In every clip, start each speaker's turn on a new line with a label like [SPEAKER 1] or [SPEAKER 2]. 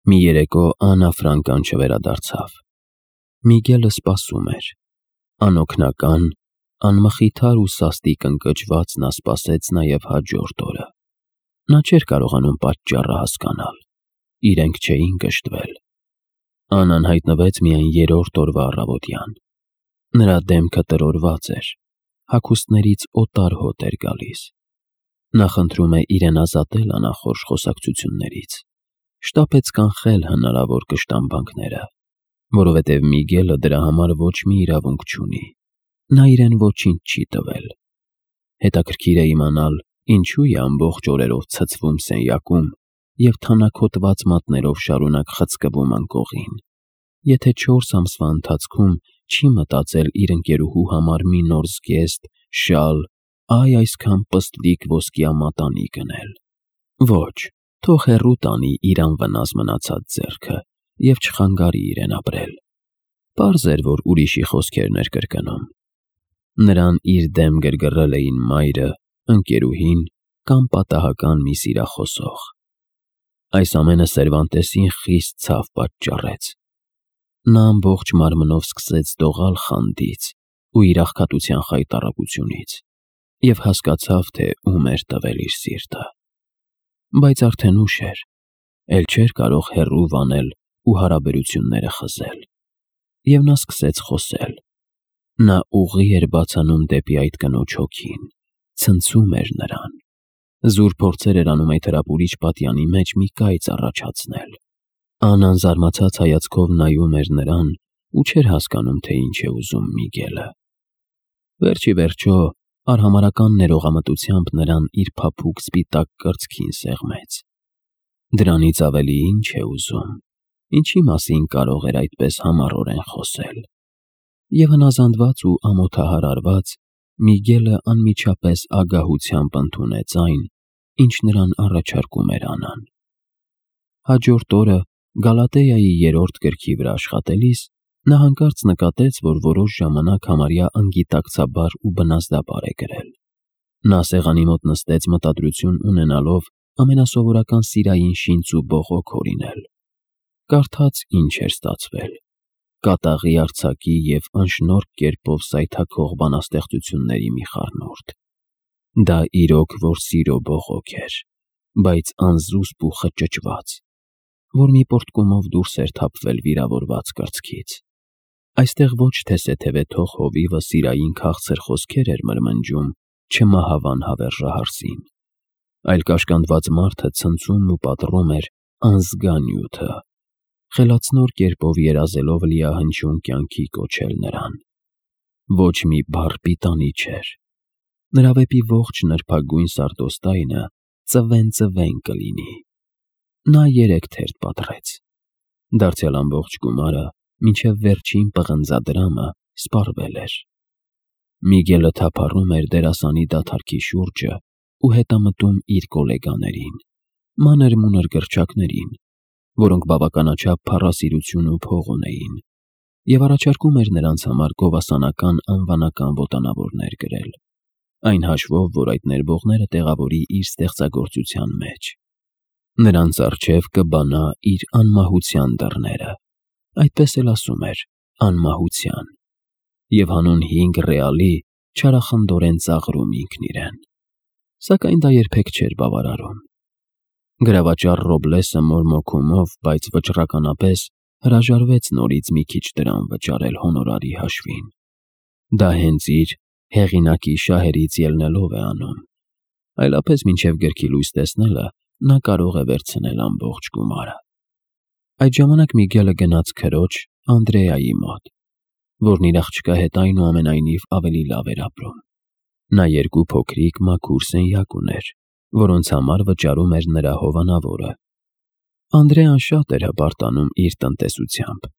[SPEAKER 1] Մի երեկո Աննա Ֆրանկան չվերադարձավ։ Միգելը սպասում էր։ Անօգնական, անմխիթար ու սաստիկ ընկճված նա սպասեց նաև հաջորդ օրը։ Նա չէր կարողանում պատճառը հասկանալ։ Իրենք չէին կշտվել։ Աննան հայտնվեց միայն երրորդ օրվա առավոտյան։ Նրա դեմքը տրորված էր, հագուստներից օտար հոտ էր գալիս։ Նա խնդրում է իրեն ազատել անախորժ խոսակցություններից, շտապեց կանխել հնարավոր կշտամբանքները, որովհետև Միգելը դրա համար ոչ մի իրավունք չունի։ Նա իրեն ոչինչ չի տվել։ Հետաքրքիր է իմանալ, ինչու է ամբողջ օրերով ցցվում սենյակում և թանաքոտված մատներով շարունակ խցկվում անկողին։ Եթե 4 ամսվա ընթացքում չի մտածել իր ընկերուհու համար մի նոր զգեստ, շալ, այ այսքան պստլիկ ոսկիամատանի գնել։ Ոչ, թող հեռու տանի իր անվնաս մնացած ձեռքը և չխանգարի իրեն ապրել։ Պարզ էր, որ ուրիշի խոսքերն էր կրկնում։ Նրան իր դեմ գրգռել էին մայրը, ընկերուհին կամ պատահական մի սիրախոսող։ Այս ամենը Սերվանտեսին խիստ ցավ պատճառեց։ Նա ամբողջ մարմնով սկսեց դողալ խանդից ու իր աղքատության խայտառակությունից և հասկացավ, թե ում էր տվել իր սիրտը։ Բայց արդեն ուշ էր, էլ չէր կարող հեռու վանել ու հարաբերությունները խզել։ Եվ նա սկսեց խոսել։ Նա ուղի էր բացանում դեպի այդ կնոջ հոգին, ցնցում էր նրան։ Զուր փորձեր էր անում այդ հրապուրիչ պատյանի մեջ մի կայծ առաջացնել։ Աննան զարմացած հայացքով նայում էր նրան ու չէր հասկանում, թե ինչ է ուզում Միգելը։ Վերջ ի վերջո, արհամարհական ներողամտությամբ նրան իր փափուկ սպիտակ կրծքին սեղմեց։ Դրանից ավելի ինչ է ուզում, ինչի մասին կարող էր այդպես համառորեն խոսել։ Եվ հնազանդված ու ամոթահարարված, Միգելը անմիջապես ագահությամբ ընդունեց այն, ինչ նրան առաջարկում էր Աննան։ Հաջորդ օրը Գալատեայի 3-րդ գրքի վրա աշխատելիս նա հանկարծ նկատեց, որ որոշ ժամանակ համարյա անգիտակցաբար ու բնազդաբար է գրել։ Նա սեղանի մոտ նստեց մտադրություն ունենալով ամենասովորական սիրային շինծ ու բողոք հորինել։ Կարդաց ինչ էր ստացվել։ Կատաղի արձակի և անշնորհք կերպով սայթաքող բանաստեղծությունների մի խառնուրդ։ Դա իրոք որ սիրո բողոք էր, բայց անզուսպ ու խճճված, որ մի պոռթկումով դուրս էր թափվել վիրավորված կրծքից։ Այստեղ ոչ թե սեթևեթող հովիվը սիրային քաղցր խոսքեր էր մրմնջում չմահավան հավերժահարսին, այլ կաշկանդված մարդը ցնծում ու պատռում էր անզգա նյութը, խելացնոր կերպով երազելով լիահնչյուն կյանքի կոչել նրան։ Ոչ մի բառ պիտանի չէր։ Նրա վեպի ողջ նրբագույն սարդոստայնը ծվեն կլինի։ Նա 3 թերթ պատռեց։ Դարձյալ ամբողջ գումարը, մինչև վերջին պղնձադրամը սպառվել էր։ Միգելը թափառում էր դերասանի դադարքի շուրջը ու հետամտում իր գոլեգաներին, մանր-մունր գրչակներին, որոնք բավականաչափ փառասիրություն ու փող ունեին, և առաջարկում էր նրանց համար գովասանական անվանական ոտանավորներ գրել, այն հաշվով, որ այդ ներբողները տեղավորի իր ստեղծագործության մեջ։ Նրանց առջև կբանա իր անմահության դռները, այդպես էլ ասում էր, անմահության, և հանուն 5 ռեալի չարախնդորեն ծաղրում ինքն իրեն։ Սակայն դա երբեք չէր բավարարում։ Գրավաճառ Ռոբլեսը մորմոքումով, բայց վճռականապես հրաժարվեց նորից մի քիչ դրամ վճարել հոնորարի հաշվին։ Դա հենց իր հեղինակի շահերից ելնելով է անում, այլապես մինչև գրքի լույս տեսնելը նա կարող է վերցնել ամբողջ գումարը։ Այդ ժամանակ Միգելը գնաց քրոջ Անդրեայի մոտ, որն իր աղջկա հետ այնուամենայնիվ ավելի լավ էր ապրում։ Նա 2 փոքրիկ մաքուր սենյակ ուներ, որոնց համար վճարում էր նրա հովանավորը։ Անդրեան շատ էր հպարտանում իր տնտեսությամբ։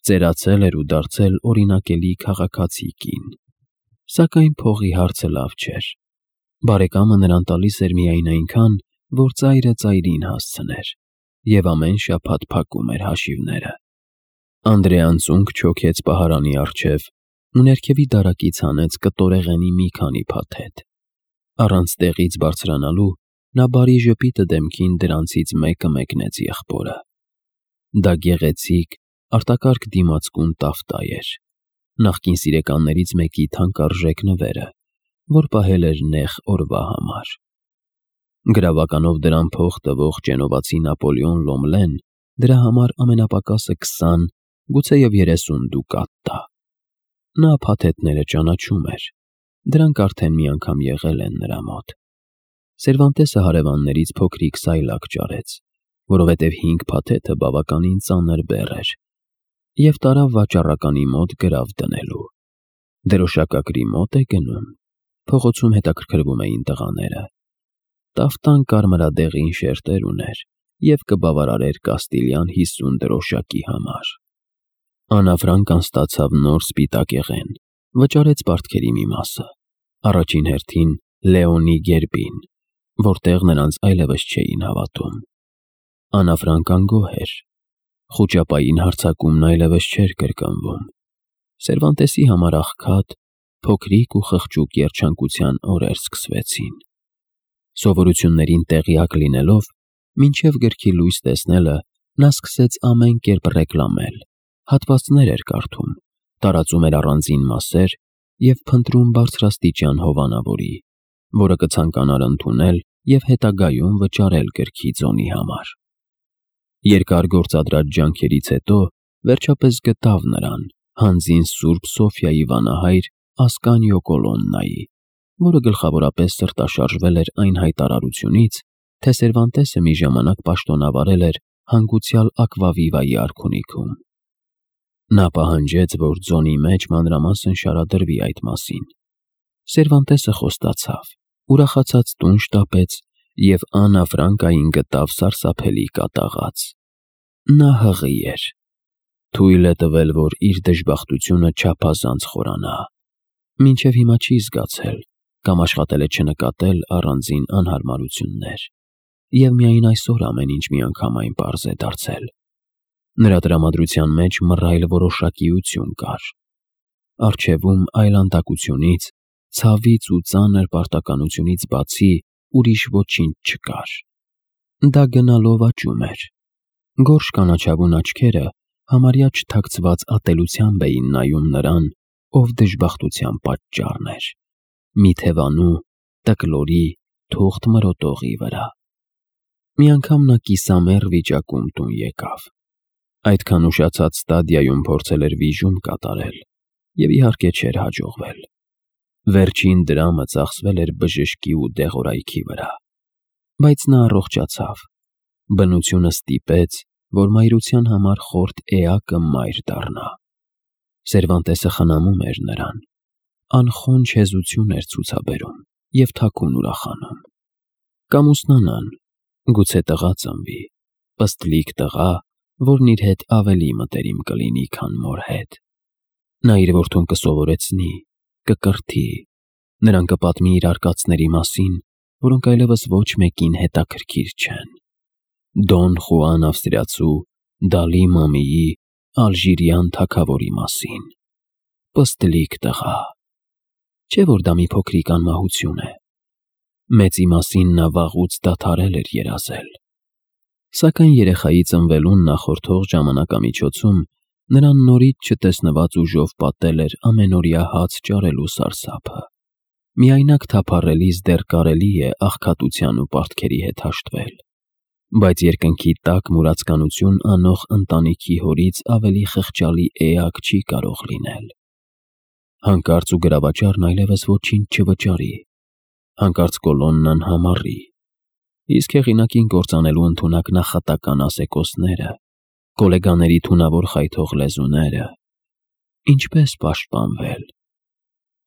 [SPEAKER 1] Ծերացել էր ու դարձել օրինակելի քաղաքացի կին։ Սակայն փողի հարցը լավ չէր։ Բարեկամը նրան տալիս էր միայն այնքան, որ ծայրը ծայրին հասցներ, և ամեն շաբաթ փակում էր հաշիվները։ Անդրեան ծունկ չոքեց պահարանի առջև ու ներքևի դարակից հանեց կտորեղենի մի քանի փաթեթ։ Առանց տեղից բարձրանալու նա բարի ժպիտը դեմքին դրանցից մեկը մեկնեց եղբորը։ Դա գեղեցիկ, արտակարգ դիմացկուն տավտայ էր, նախկին սիրեկաններից մեկի թանկարժեք նվերը, որ պահել էր նեղ օրվա համար։ Գրավականով դրան փող տվող գենովացի Նապոլեոն Լոմլեն դրա համար ամենապակասը 20, գուցեև 30 դուկատ տա։ Նա փաթեթները ճանաչում էր, դրանք արդեն մի անգամ եղել են նրա մոտ։ Սերվանտեսը հարևաններից փոքրիկ սայլակ ճարեց, որովհետև 5 փաթեթը բավականին ծանր բեռ էր, և տարավ վաճառականի մոտ գրավ դնելու։ Դրոշակակրի մոտ է գնում, փողոցում հետաքրքրվում էին տղաները։ Տավտան կարմրադեղին շերտեր ուներ և կբավարարեր Կաստիլյան 50 դրոշակի համար։ Աննա Ֆրանկան ստացավ նոր սպիտակեղեն, վճարեց պարտքերի մի մասը, առաջին հերթին Լեոնի գերբին, որտեղ նրանց այլևս չէին հավատում։ Աննա Ֆրանկան գոհ էր, խուճապային հարձակումն այլևս չէր կրկնվում։ Սերվանտեսի համար աղքատ, փոքրիկ ու խղճուկ երջանկության օրեր սկսվեցին։ Սովորություններին տեղյակ լինելով, մինչև գրքի լույս տեսնելը, նա սկսեց ամեն կերպ ռեկլամել, հատվածներ էր կարդում, տարածում էր առանձին մասեր և փնտրում բարձրաստիճան հովանավորի, որը կցանկանար ընդունել և հետագայում վճարել գրքի ձոնի համար։ Երկար գործադրած ջանքերից հետո վերջապես գտավ նրան հանձին Սուրբ Սոֆիայի վանահայր Ասկանիո Կոլոննայի, որը գլխավորապես սրտաշարժվել էր այն հայտարարությունից, թե Սերվանտեսը մի ժամանակ պաշտոնավարել էր հանգուցյալ Ակվավիվայի արքունիքում։ Նա պահանջեց, որ ձոնի մեջ մանրամասն շարադրվի այդ մասին։ Սերվանտեսը խոստացավ, ուրախացած տուն շտապեց և Աննա Ֆրանկային գտավ սարսափելի կատաղած։ Նա հղի էր, թույլ է տվել, որ իր դժբախտությունը չափազանց խորանա։ Մինչև հիմա չի զգացել կամ աշխատել է չնկատել առանձին անհարմարություններ, և միայն այսօր ամեն ինչ միանգամայն պարզ է դարձել։ Նրա տրամադրության մեջ մռայլ որոշակիություն կար։ Առջևում այլանդակությունից, ցավից ու ծանր պարտականությունից բացի ուրիշ ոչինչ չկար։ Դա գնալով աճում էր։ Գորշ կանաչավուն աչքերը համարյա չթաքցված ատելությամբ էին նայում նրան, ով դժբախտության պատճառն էր, մի թևանու, տկլորի, թուղթ մրոտողի վրա։ Մի անգամ նա կիսամեռ վիճակում տուն եկավ։ Այդքան ուշացած ստադիայում փորձել էր վիժում կատարել, և իհարկե չէր հաջողվել։ Վերջին դրամը ծախսվել էր բժշկի ու դեղորայքի վրա։ Բայց նա առողջացավ։ Բնությունը ստիպեց, որ մայրության համար խորթ էակը մայր դառնա։ Սերվանտեսը խնամում էր նրան, անխոնջ հեզություն էր ցուցաբերում և թաքուն ուրախանում։ Կամուսնանան, գուցե տղա ծնվի, պստլիկ տղա, որն իր հետ ավելի մտերիմ կլինի, քան մոր հետ։ Նա իր որդուն կսովորեցնի, կկրթի, նրան կպատմի իր արկածների մասին, որոնք այլևս ոչ մեկին հետաքրքիր չեն։ Դոն Խուան ավստրիացու, Դալի Մամիի, ալժիրյան թագավորի մասին։ Պստլիկ տղա։ Չէ՞ որ դա մի փոքրիկ անմահություն է։ Մեծի մասին նա վաղուց դադարել էր երազել։ Սակայն երեխայի ծնվելուն նախորդող ժամանակամիջոցում նրան նորից չտեսնված ուժով պատել էր ամենօրյա հաց ճարելու սարսափը։ Միայնակ թափառելիս դեռ կարելի է աղքատության ու պարտքերի հետ հաշտվել, բայց երկնքի տակ մուրացկանություն անող ընտանիքի հորից ավելի խղճալի էակ չի կարող լինել։ Հանկարծ ու գրավաճառն այլևս ոչինչ չվճարի, հանկարծ Կոլոննան համառի, իսկ հեղինակին կործանելու ընդունակ նախատական ասեկոսները, գոլեգաների թունավոր խայթող լեզուները։ Ինչպե՞ս պաշտպանվել։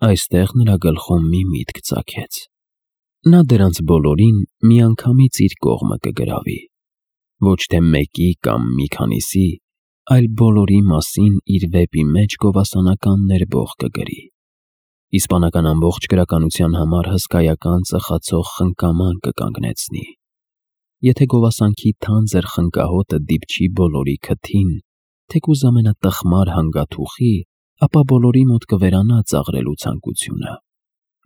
[SPEAKER 1] Այստեղ նրա գլխում մի միտք ծագեց։ Նա դրանց բոլորին միանգամից իր կողմը կգրավի, ոչ թե մեկի կամ մի քանիսի, այլ բոլորի մասին իր վեպի մեջ գովասանական ներբող կգրի։ Իսպանական ամբողջ գրականության համար հսկայական ծխացող խնկաման կկանգնեցնի։ Եթե գովասանքի թանձր խնկահոտը դիպչի բոլորի քթին, թեկուզ ամենատխմար հանգաթուխի, ապա բոլորի մոտ կվերանա ծաղրելու ցանկությունը,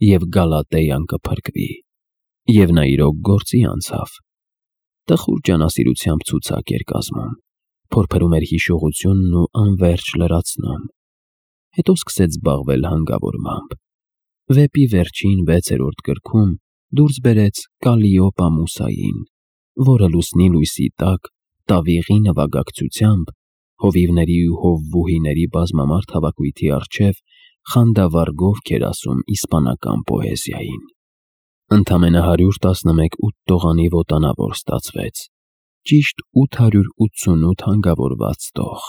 [SPEAKER 1] և Գալատեյան կփրկվի։ Եվ նա իրոք գործի անցավ։ Տխուր ջանասիրությամբ ցուցակ էր կազմում, Փորփրում էր հիշողությունն ու անվերջ լրացնում։ Հետո սկսեց զբաղվել հանգավորմամբ։ Վեպի վերջին 6-րդ գրքում դուրս բերեց Կալիոպա Մուսային, որը լուսնի լույսի տակ, տավիղի նվագակցությամբ, հովիվների ու հովվուհիների բազմամարդ հավաքույթի առջև խանդավառ էր ասում իսպանական պոեզիային։ Ընդամենը 111 ութտողանի ոտանավոր ստացվեց, ճիշտ 888 հանգավորված տող։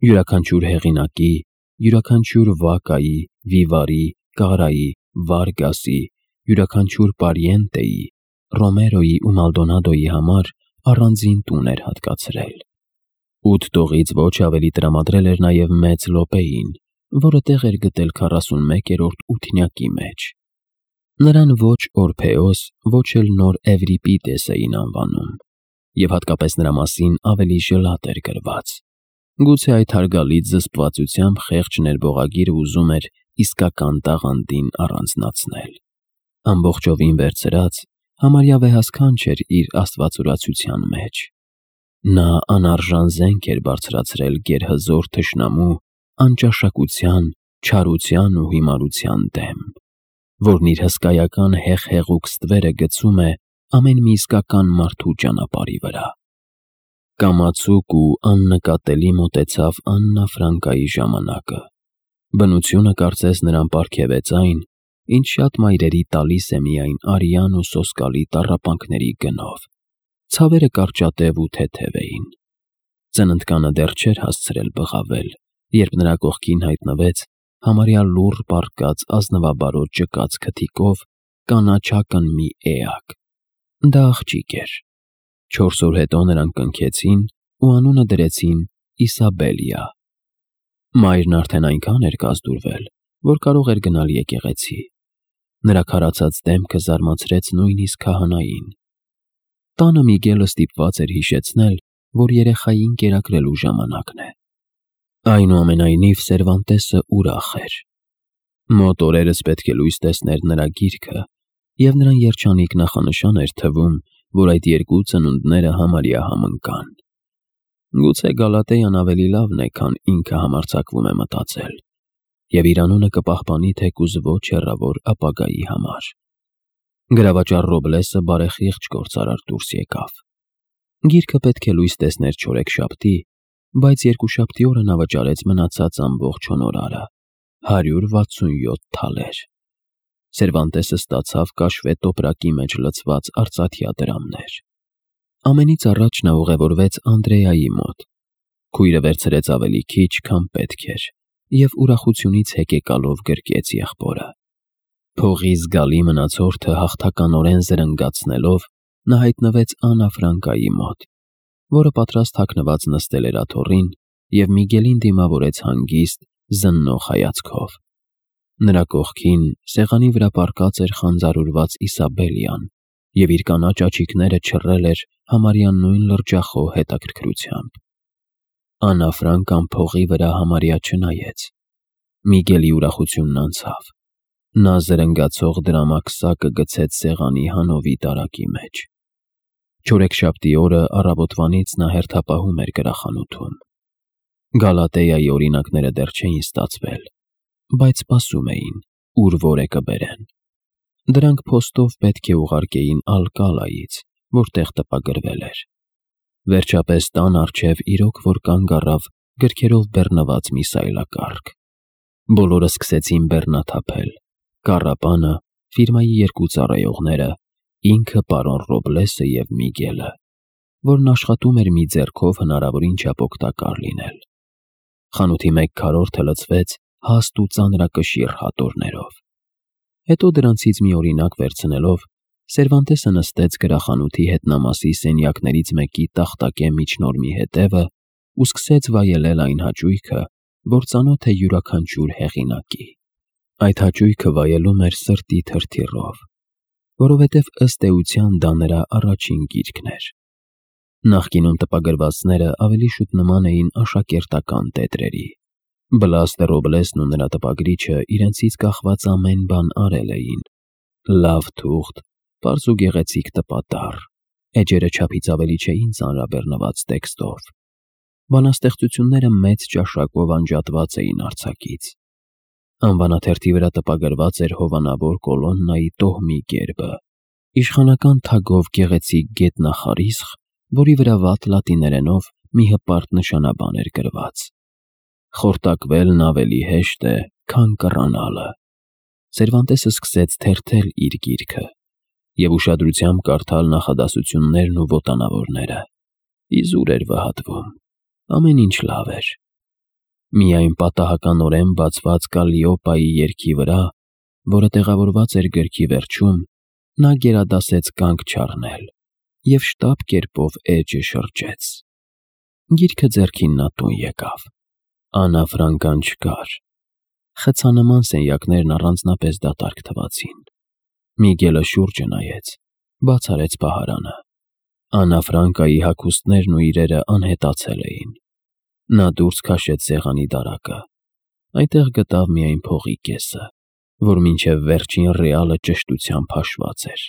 [SPEAKER 1] Յուրաքանչյուր հեղինակի, յուրաքանչյուր Վակայի, Վիվարի, Կարայի, Վարգասի, յուրաքանչյուր Պարիենտեի, Ռոմերոյի ու Մալդոնադոյի համար առանձին տուն էր հատկացրել։ 8 տողից ոչ ավելի տրամադրել էր նաև մեծ Լոպեին, որը տեղ էր գտել 41-րդ ութնյակի մեջ։ Նրան ոչ Օրփեոս, ոչ էլ նոր Էվրիպիտես էին անվանում, և հատկապես նրա մասին ավելի ժլատ էր գրված։ Գուցե այդ հարգալից զսպվածությամբ խեղճ ներբողագիրը ուզում էր իսկական տաղանդին առանձնացնել։ Ամբողջովին վերցրած, համարյա վեհասքանչ էր իր աստվածուրացության մեջ։ Նա անարժան զենք էր բարձրացրել գերհզոր թշնամու, անճաշակության, չարության ու հիմարության դեմ, որն իր հսկայական հեղհեղուկ ստվերը գցում է ամեն մի իսկական մարդու ճանապարհի վրա։ Կամացուկ ու աննկատելի մոտեցավ Աննա Ֆրանկայի ժամանակը։ Բնությունը կարծես նրան պարգևեց այն, ինչ շատ մայրերի տալիս է միայն արյան ու սոսկալի տառապանքների գնով։ Ցավերը կարճատև ու թեթև էին։ Ծննդկանը դեռ չէր հասցրել բղավել, երբ նրա կողքին հայտնվեց համարյա լուռ պառկած ազնվաբարոտ ճկած քթիկով կանաչակն մի էակ։ Դա աղջիկ էր։ 4 օր հետո նրան կնքեցին ու անունը դրեցին Իսաբելիա։ Մայրն արդեն այնքան էր կազդուրվել, որ կարող էր գնալ եկեղեցի։ Նրա քարացած դեմքը զարմացրեց նույնիսկ քահանային։ Տանը Միգելը ստիպված էր հիշեցնել, որ երեխային կերակրելու ժամանակն է։ Այնուամենայնիվ Սերվանտեսը ուրախ էր։ Մոտ օրերս պետք է լույս տեսներ նրա գիրքը, և նրան երջանիկ նախանշան էր թվում, որ այդ երկու ծնունդները համարյա համընկան։ Գուցե Գալատեան ավելի լավն է, քան ինքը համարձակվում է մտածել, և իր անունը կպահպանի թեկուզ ոչ հեռավոր ապագայի համար։ Գրավաճառ Ռոբլեսը բարեխիղճ գործարար դուրս եկավ։ Գիրքը պետք է լույս տեսներ չորեքշաբթի, բայց երկուշաբթի օրը նա վճարեց մնացած ամբողջ հոնորարը՝ 167 թալեր։ Սերվանտեսը ստացավ կաշվե տոպրակի մեջ լցված արծաթյա դրամներ։ Ամենից առաջ նա ուղևորվեց Անդրեայի մոտ։ Քույրը վերցրեց ավելի քիչ, քան պետք էր, և ուրախությունից հեկեկալով գրկեց եղբորը։ Փողի զգալի մնացորդը հաղթականորեն զրնգացնելով, նա հայտնվեց Աննա Ֆրանկայի մոտ, որը պատրաստ թաքնված նստել էր աթոռին և Միգելին դիմավորեց հանգիստ, զննող հայացքով։ Նրա կողքին սեղանի վրա պառկած էր խանձարուրված Իսաբելիան, և իր կանաչ աչիկները չռել էր համարյա նույն լրջախոհ հետաքրքրությամբ։ Աննա Ֆրանկան փողի վրա համարյա չնայեց։ Միգելի ուրախությունն անցավ։ Նա զրնգացող դրամակսակը գցեց սեղանի հանովի տարակի մեջ։ Չորեքշաբթի օրը առավոտվանից նա հերթապահում էր գրախանութում։ Գալատեայի օրինակները դեռ չէին ստացվել, բայց սպասում էին, ուր որ է կբերեն։ Դրանք փոստով պետք է ուղարկեին Ալկալայից, որտեղ տպագրվել էր։ Վերջապես տան առջև իրոք որ կանգ առավ գրքերով բեռնված մի սայլակառք։ Բոլորը սկսեցին բեռնաթափել՝ կառապանը, ֆիրմայի երկու ծառայողները, ինքը պարոն Ռոբլեսը և Միգելը, որն աշխատում էր մի ձեռքով հնարավորին չափ օգտակար լինել։ Խանութի մեկ քառորդը լցվեց հաստ ու ծանրակշիռ հատորներով։ Հետո դրանցից մի օրինակ վերցնելով, Սերվանտեսը նստեց գրախանութի հետնամասի սենյակներից մեկի տախտակե միջնորմի հետևը ու սկսեց վայելել այն հաճույքը, որ ծանոթ է յուրաքանչյուր հեղինակի։ Այդ հաճույքը վայելում էր սրտի թրթիռով, որովհետև ըստ էության դա նրա առաջին գիրքն էր։ Նախկինում տպագրվածները ավելի շուտ նման էին աշակերտական տետրերի։ Բլաստը Ռոբլեսն ու նրա տպագրիչը իրենցից կախված ամեն բան արել էին։ Լավ թուղթ, պարզ ու գեղեցիկ տպատառ, էջերը չափից ավելի չէին ծանրաբեռնված տեքստով։ Բանաստեղծությունները մեծ ճաշակով անջատված էին արձակից։ Անվանաթերթի վրա տպագրված էր հովանավոր կոլոննայի տոհմի գերբը, իշխանական թագով գեղեցիկ գետնախարիսխ, որի վրա վատ լատիներենով մի հպարտ նշանաբան էր գրված. «Խորտակվելն ավելի հեշտ է, քան կռանալը»։ Սերվանտեսը սկսեց թերթել իր գիրքը և ուշադրությամբ կարդալ նախադասություններն ու ոտանավորները։ Իզուր էր վհատվում, ամեն ինչ լավ էր։ Միայն պատահականորեն բացված Կալլիոպայի երգի վրա, որը տեղավորված էր գրքի վերջում, նա գերադասեց կանգ չառնել և շտապ կերպով էջը շրջեց։ Գիրքը ձեռքին նա տուն եկավ։ Աննա Ֆրանկան չկար։ Խցանման սենյակներն առանձնապես դատարկ թվացին։ Միգելը շուրջը նայեց, բաց արեց պահարանը։ Աննա Ֆրանկայի հագուստներն ու իրերը անհետացել էին։ Նա դուրս քաշեց սեղանի դարակը։ Այնտեղ գտավ միայն փողի կեսը, որ մինչև վերջին ռեալը ճշտությամբ հաշված էր։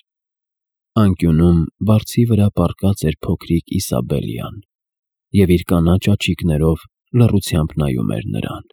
[SPEAKER 1] Անկյունում բարձի վրա պառկած էր փոքրիկ Իսաբելյան և իր կանաչ աչիկներով լռությամբ նայում էր նրան։